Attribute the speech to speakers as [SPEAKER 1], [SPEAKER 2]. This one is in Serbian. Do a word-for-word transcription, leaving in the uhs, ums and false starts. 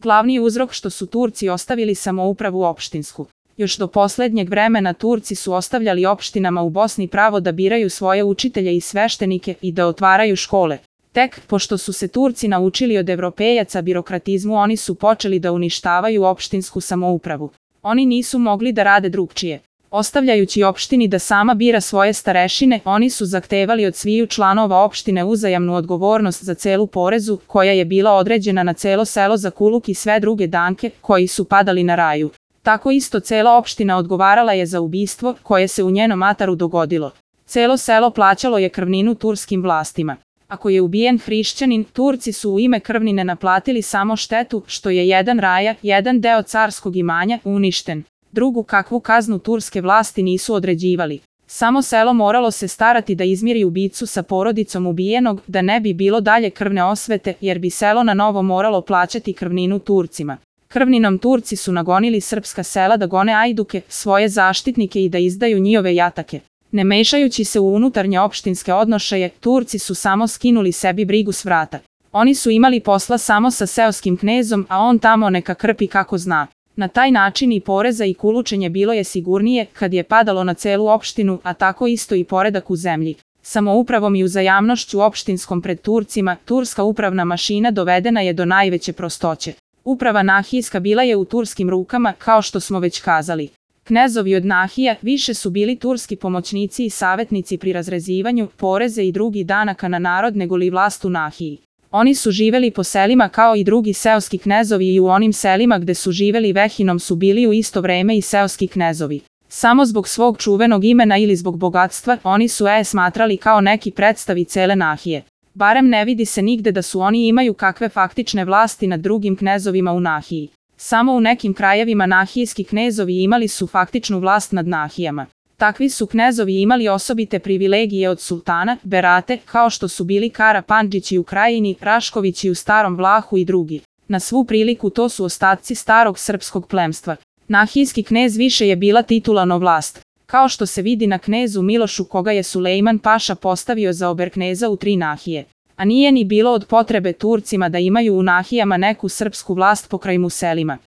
[SPEAKER 1] Glavni uzrok što su Turci ostavili samoupravu opštinsku. Još do poslednjeg vremena Turci su ostavljali opštinama u Bosni pravo da biraju svoje učitelje i sveštenike i da otvaraju škole. Tek, pošto su se Turci naučili od Evropejaca birokratizmu, oni su počeli da uništavaju opštinsku samoupravu. Oni nisu mogli da rade drugčije. Ostavljajući opštini da sama bira svoje starešine, oni su zahtevali od sviju članova opštine uzajamnu odgovornost za celu porezu, koja je bila određena na celo selo za kuluk i sve druge danke, koji su padali na raju. Tako isto cela opština odgovarala je za ubistvo, koje se u njenom ataru dogodilo. Celo selo plaćalo je krvninu turskim vlastima. Ako je ubijen hrišćanin, Turci su u ime krvnine naplatili samo štetu, što je jedan raja, jedan deo carskog imanja, uništen. Drugu kakvu kaznu turske vlasti nisu određivali. Samo selo moralo se starati da izmiri ubicu sa porodicom ubijenog, da ne bi bilo dalje krvne osvete, jer bi selo na novo moralo plaćati krvninu Turcima. Krvninom Turci su nagonili srpska sela da gone ajduke, svoje zaštitnike i da izdaju njihove jatake. Ne mešajući se u unutarnje opštinske odnošaje, Turci su samo skinuli sebi brigu s vrata. Oni su imali posla samo sa seoskim knezom, a on tamo neka krpi kako zna. Na taj način i poreza i kulučenje bilo je sigurnije kad je padalo na celu opštinu, a tako isto i poredak u zemlji. Samoupravom i uzajamnošću opštinskom pred Turcima, turska upravna mašina dovedena je do najveće prostoće. Uprava nahijska bila je u turskim rukama, kao što smo već kazali. Knezovi od nahija više su bili turski pomoćnici i savjetnici pri razrezivanju poreze i drugih danaka na narod nego li vlast u Nahiji. Oni su živeli po selima kao i drugi seoski knezovi i u onim selima gde su živeli većinom su bili u isto vreme i seoski knezovi. Samo zbog svog čuvenog imena ili zbog bogatstva, oni su je smatrali kao neki predstavi cele Nahije. Barem ne vidi se nigde da su oni imaju kakve faktične vlasti nad drugim knezovima u Nahiji. Samo u nekim krajevima nahijski knezovi imali su faktičnu vlast nad Nahijama. Takvi su knezovi imali osobite privilegije od sultana, berate, kao što su bili Kara Pandžići u Krajini, Raškovići u Starom Vlahu i drugi. Na svu priliku to su ostaci starog srpskog plemstva. Nahijski knez više je bila titulano vlast. Kao što se vidi na knezu Milošu koga je Sulejman Paša postavio za oberkneza u tri Nahije. A nije ni bilo od potrebe Turcima da imaju u Nahijama neku srpsku vlast pokraj mu selima.